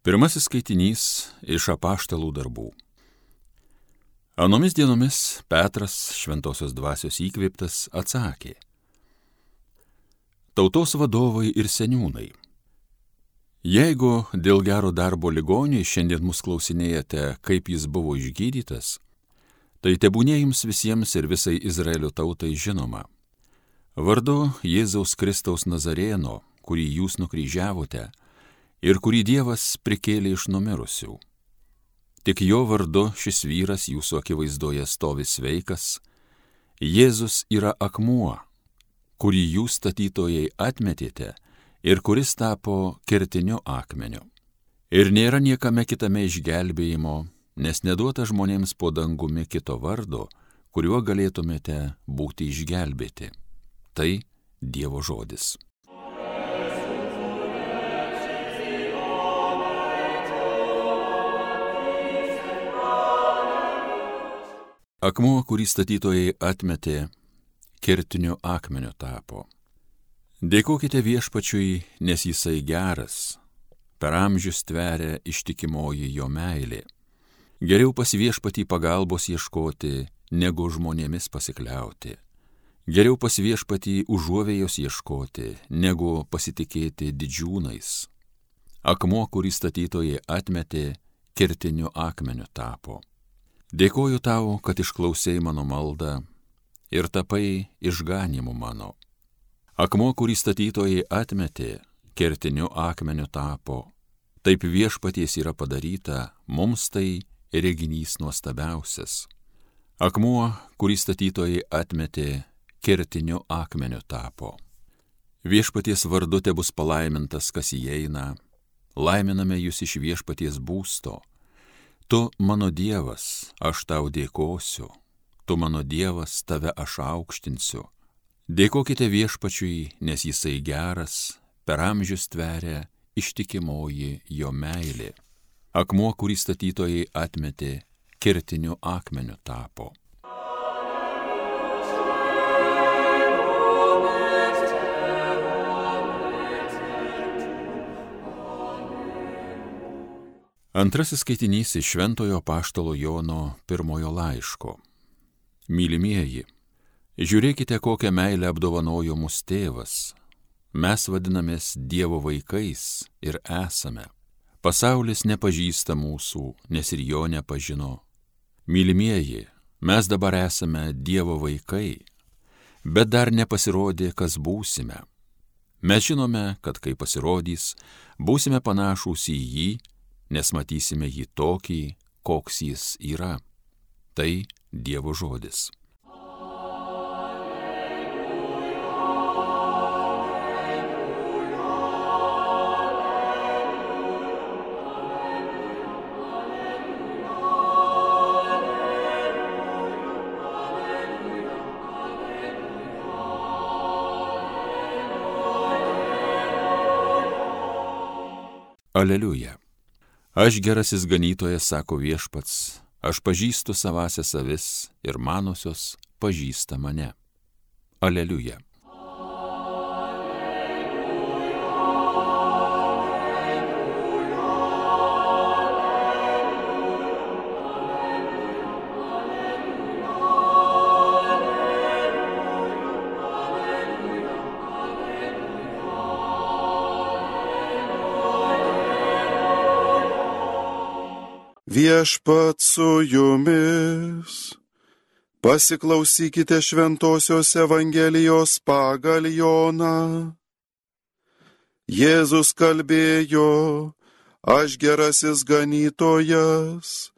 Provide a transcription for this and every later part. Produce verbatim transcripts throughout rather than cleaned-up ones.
Pirmasis skaitinys iš apaštalų darbų. Anomis dienomis Petras, šventosios dvasios įkvėptas, atsakė: Tautos vadovai ir seniūnai, jeigu dėl gero darbo ligoniui šiandien mus klausinėjate, kaip jis buvo išgydytas, tai tebūnie jums visiems ir visai Izraelio tautai žinoma. Vardu Jėzaus Kristaus Nazarėno, kurį jūs nukryžiavote ir kurį Dievas prikėlė iš numirusių. Tik jo vardu šis vyras jūsų akivaizdoje stovi sveikas. Jėzus yra akmuo, kurį jūs statytojai atmetėte ir kuris tapo kertiniu akmeniu. Ir nėra niekame kitame išgelbėjimo, nes neduota žmonėms po dangumi kito vardo, kuriuo galėtumėte būti išgelbėti. Tai Dievo žodis. Akmuo, kurį statytojai atmetė, kertiniu akmeniu tapo. Dėkokite Viešpačiui, nes jisai geras, per amžius tveria ištikimoji jo meilė. Geriau pas Viešpatį pagalbos ieškoti, negu žmonėmis pasikliauti. Geriau pas Viešpatį užuovėjos ieškoti, negu pasitikėti didžiūnais. Akmuo, kurį statytojai atmetė, kertiniu akmeniu tapo. Dėkoju tau, kad išklausei mano maldą ir tapai išganimu mano. Akmuo, kurį statytojai atmetė, kertiniu akmeniu tapo. Taip Viešpaties yra padaryta, mums tai reginys nuostabiausias. Akmuo, kurį statytojai atmetė, kertiniu akmeniu tapo. Viešpaties vardu tebus palaimintas, kas įeina. Laiminame jūs iš Viešpaties būsto. Tu mano Dievas, aš tau dėkosiu, tu mano Dievas, tave aš aukštinsiu. Dėkokite Viešpačiui, nes jisai geras, per amžius tveria ištikimoji jo meilė. Akmuo, kurį statytojai atmetė, kertiniu akmeniu tapo. Antrasis skaitinys iš Šventojo apaštalo Jono pirmojo laiško. Mylimieji, žiūrėkite, kokią meilę apdovanojo mus tėvas. Mes vadinamės Dievo vaikais ir esame. Pasaulis nepažįsta mūsų, nes ir jo nepažino. Mylimieji, mes dabar esame Dievo vaikai, bet dar nepasirodė, kas būsime. Mes žinome, kad kai pasirodys, būsime panašūs į jį, nes matysime jį tokį, koks jis yra. Tai Dievo žodis. Aleliuja. Aš gerasis ganytojas, sako Viešpats, aš pažįstu savąsias avis ir manosios pažįsta mane. Aleliuja. Viešpat su jumis. Pasiklausykite Šventosios Evangelijos pagal Joną. Jėzus kalbėjo: aš gerasis ganytojas.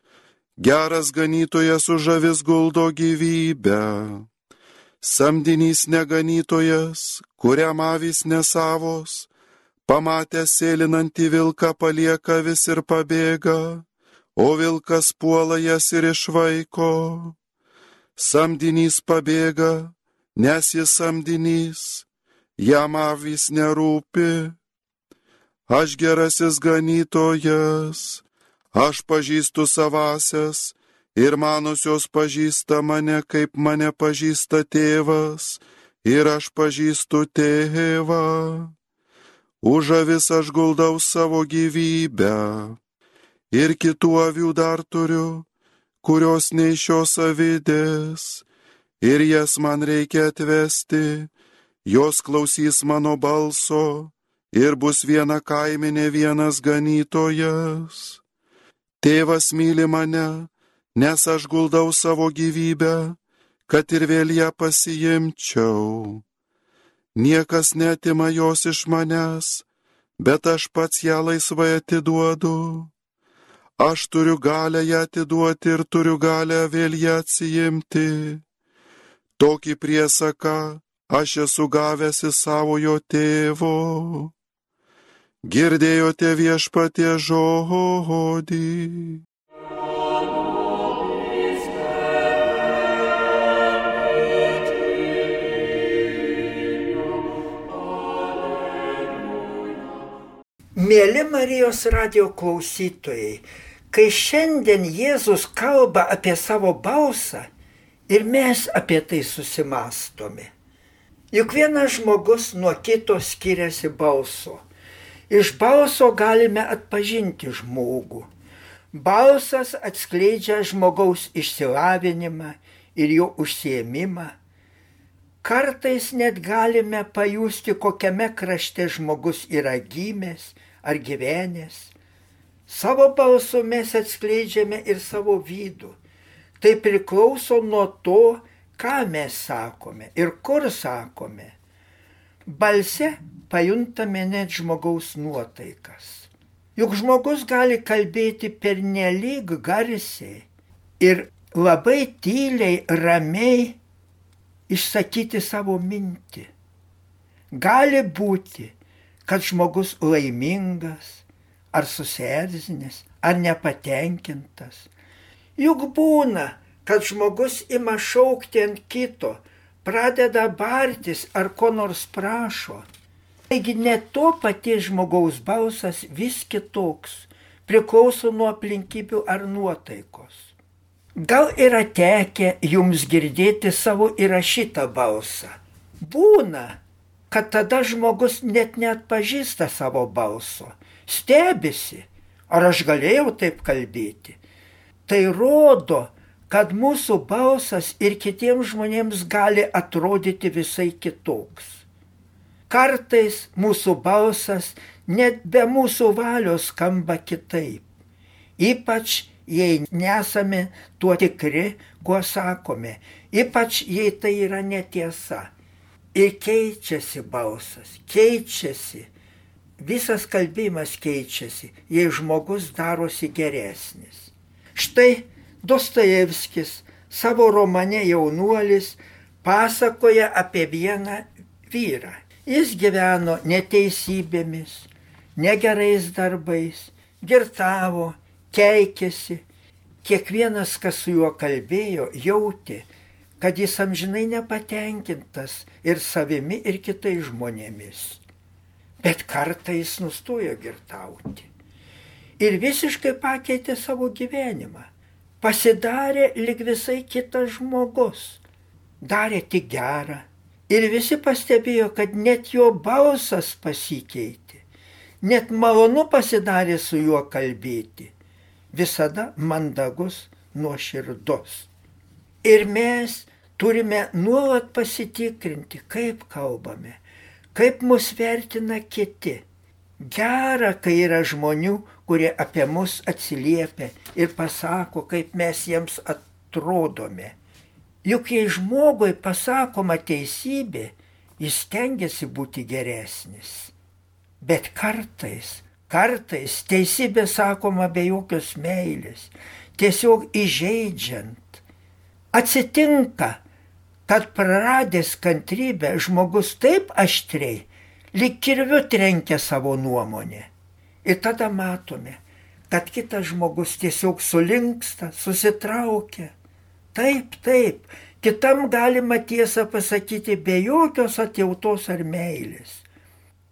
Geras ganytojas už avis guldo gyvybę. Samdinys neganytojas, kuriam avys nesavos, pamatęs sėlinantį vilką palieka avis ir pabėga. O vilkas puola jas ir išvaiko. Samdinys pabėga, nes jis samdinys, jam avys nerūpi. Aš gerasis ganytojas, aš pažįstu savąsias ir manosios pažįsta mane, kaip mane pažįsta tėvas, ir aš pažįstu tėvą. Už avis aš guldau savo gyvybę. Ir kitų avių dar turiu, kurios nei šios avidės. Ir jas man reikia atvesti, jos klausys mano balso. Ir bus viena kaimenė, vienas ganytojas. Tėvas myli mane, nes aš guldau savo gyvybę, kad ir vėl ją pasiimčiau. Niekas netima jos iš manęs, bet aš pats ją laisvai atiduodu. Aš turiu galę ją atiduoti ir turiu galę vėl ją atsiimti. Tokį priesaką aš esu gavęs iš savojo tėvo. Girdėjote viešpatie žodį. Mėly Marijos radijo klausytojai, kai šiandien Jėzus kalba apie savo balsą ir mes apie tai susimastome. Juk vienas žmogus nuo kito skiriasi balso. Iš balso galime atpažinti žmogų. Balsas atskleidžia žmogaus išsilavinimą ir jo užsiėmimą. Kartais net galime pajusti, kokiame krašte žmogus yra gimęs ar gyvenęs. Savo balsu mes atskleidžiame ir savo vidų. Tai priklauso nuo to, ką mes sakome ir kur sakome. Balse pajuntame net žmogaus nuotaikas. Juk žmogus gali kalbėti pernelyg garsiai ir labai tyliai, ramiai išsakyti savo mintį. Gali būti, kad žmogus laimingas, ar susierzinęs, ar nepatenkintas. Juk būna, kad žmogus ima šaukti ant kito, pradeda bartis ar ko nors prašo. Taigi net to paties žmogaus balsas vis kitoks, priklauso nuo aplinkybių ar nuotaikos. Gal yra tekę jums girdėti savo įrašytą balsą? Būna, kad tada žmogus net neatpažįsta savo balso, stebisi, ar aš galėjau taip kalbėti. Tai rodo, kad mūsų balsas ir kitiems žmonėms gali atrodyti visai kitoks. Kartais mūsų balsas net be mūsų valios skamba kitaip, ypač jei nesame tuo tikri, kuo sakome, ypač jei tai yra netiesa. Ir keičiasi balsas, keičiasi, visas kalbėjimas keičiasi, jei žmogus darosi geresnis. Štai Dostojevskis savo romane Jaunuolis pasakoja apie vieną vyrą. Jis gyveno neteisybėmis, negerais darbais, girtavo, keikėsi. Kiekvienas, kas su juo kalbėjo, jautė, kad jis amžinai nepatenkintas ir savimi, ir kitais žmonėmis. Bet kartą jis nustojo girtauti ir visiškai pakeitė savo gyvenimą. Pasidarė lyg visai kitas žmogus, darė tik gerą. Ir visi pastebėjo, kad net jo balsas pasikeitė, net malonu pasidarė su juo kalbėti, visada mandagus, nuoširdus. Ir mes turime nuolat pasitikrinti, kaip kalbame, kaip mus vertina kiti. Gera, kai yra žmonių, kurie apie mus atsiliepia ir pasako, kaip mes jiems atrodome. Juk jei žmogui pasakoma teisybė, jis stengiasi būti geresnis. Bet kartais, kartais teisybė sakoma be jokios meilės, tiesiog įžeidžiant. Atsitinka, kad praradęs kantrybę žmogus taip aštriai, lyg kirviu trenkia savo nuomonę. Ir tada matome, kad kitas žmogus tiesiog sulinksta, susitraukia. Taip, taip, kitam galima tiesą pasakyti be jokios atjautos ar meilės.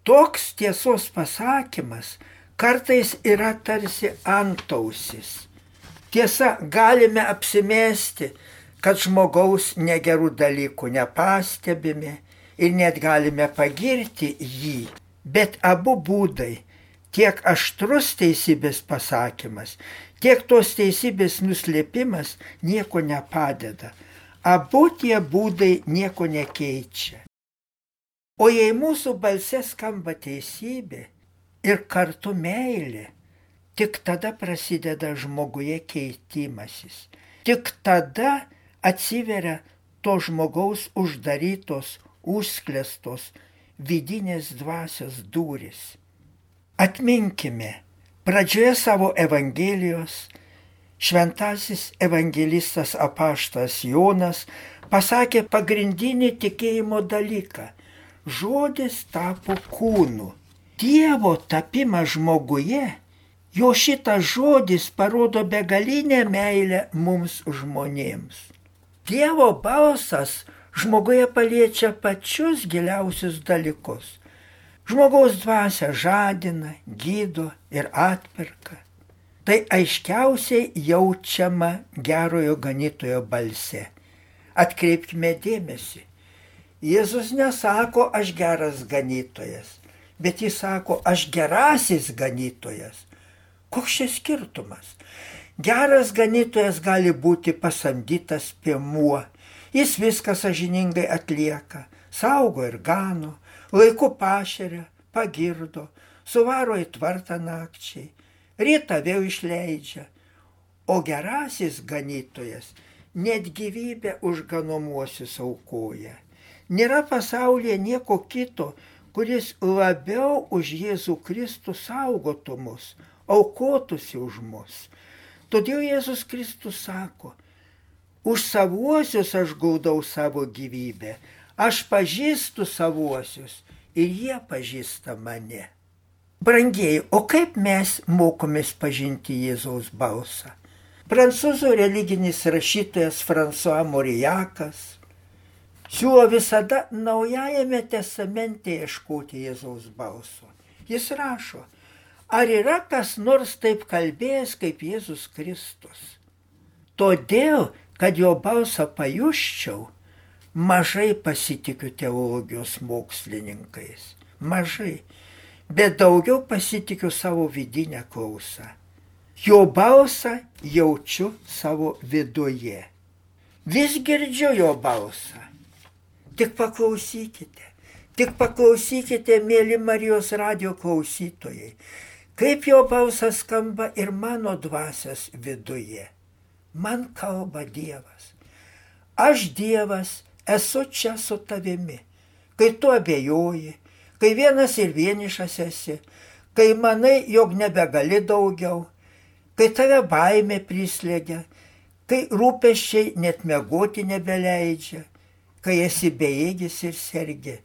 Toks tiesos pasakymas kartais yra tarsi antausis. Tiesa, galime apsimesti, kad žmogaus negerų dalykų nepastebime ir net galime pagirti jį, Bet abu būdai, tiek aštrus teisybės pasakymas, tiek tos teisybės nuslėpimas nieko nepadeda. Abu tie būdai nieko nekeičia. O jei mūsų balse skamba teisybė ir kartu meilė, tik tada prasideda žmoguje keitimasis. Tik tada atsiveria to žmogaus uždarytos, užsklestos vidinės dvasios durys. Atminkime, pradžioje savo Evangelijos šventasis evangelistas apaštalas Jonas pasakė pagrindinį tikėjimo dalyką. Žodis tapo kūnu. Dievo tapimas žmoguje, jo šitas žodis parodo begalinę meilę mums žmonėms. Dievo balsas žmoguje paliečia pačius giliausius dalykus. Žmogaus dvasia žadina, gydo ir atperka. Tai aiškiausiai jaučiama gerojo ganytojo balse. Atkreipkime dėmesį. Jėzus nesako, aš geras ganytojas, bet jis sako, aš gerasis ganytojas. Koks šis skirtumas? Geras ganytojas gali būti pasamdytas piemuo. Jis viską sąžiningai atlieka, saugo ir gano, laiku pašeria, pagirdo, suvaro į tvartą nakčiai, rytą vėl išleidžia. O gerasis ganytojas net gyvybę už ganomuosius aukoja. Nėra pasaulyje nieko kito, kuris labiau už Jėzų Kristų saugotų mus, aukotųsi už mus. Todėl Jėzus Kristus sako, už savuosius aš gaudau savo gyvybę, aš pažįstu savuosius ir jie pažįsta mane. Brangieji, o kaip mes mokomės pažinti Jėzaus balsą? Prancūzų religinis rašytojas François Mauriakas siūlo visada Naujajame testamente ieškoti Jėzaus balso. Jis rašo, ar yra kas nors taip kalbėjęs kaip Jėzus Kristus? Todėl, kad jo balsą pajusčiau, mažai pasitikiu teologijos mokslininkais. Mažai. Bet daugiau pasitikiu savo vidinę klausą. Jo balsą jaučiu savo viduje. Vis girdžiu jo balsą. Tik paklausykite, tik paklausykite, mėly Marijos radijo klausytojai, kaip jo balsas skamba ir mano dvasios viduje. Man kalba Dievas. Aš Dievas esu čia su tavimi, kai tu abejoji, kai vienas ir vienišas esi, kai manai, jog nebegali daugiau, kai tave baimė prislėgia, kai rūpesčiai net miegoti nebeleidžia, kai esi bejėgis ir sergi.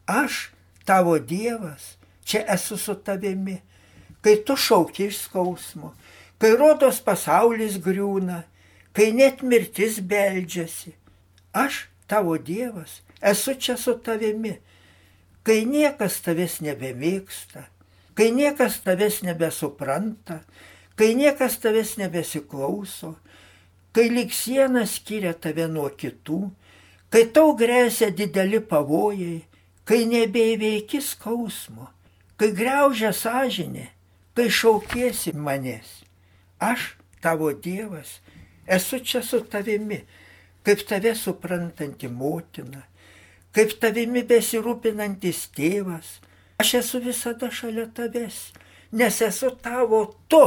Aš, tavo Dievas, čia esu su tavimi, kai tu šauki iš skausmo, kai rodos pasaulis griūna, kai net mirtis beldžiasi. Aš, tavo Dievas, esu čia su tavimi, kai niekas tavęs nebemėgsta, kai niekas tavęs nebesupranta, kai niekas tavęs nebesiklauso, kai lyg siena skiria tave nuo kitų, kai tau grėsia dideli pavojai, kai nebeįveiki skausmo, kai griaužia sąžinė, kai šaukiesi manęs. Aš, tavo Dievas, esu čia su tavimi, kaip tave suprantanti motina, kaip tavimi besirūpinantis tėvas. Aš esu visada šalia tavęs, nes esu tavo tu,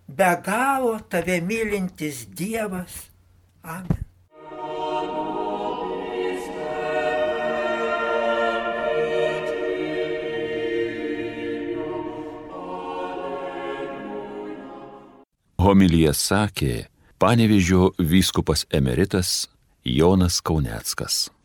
be galo tave mylintis Dievas. Amen. Homiliją sakė Panevėžio vyskupas emeritas Jonas Kauneckas.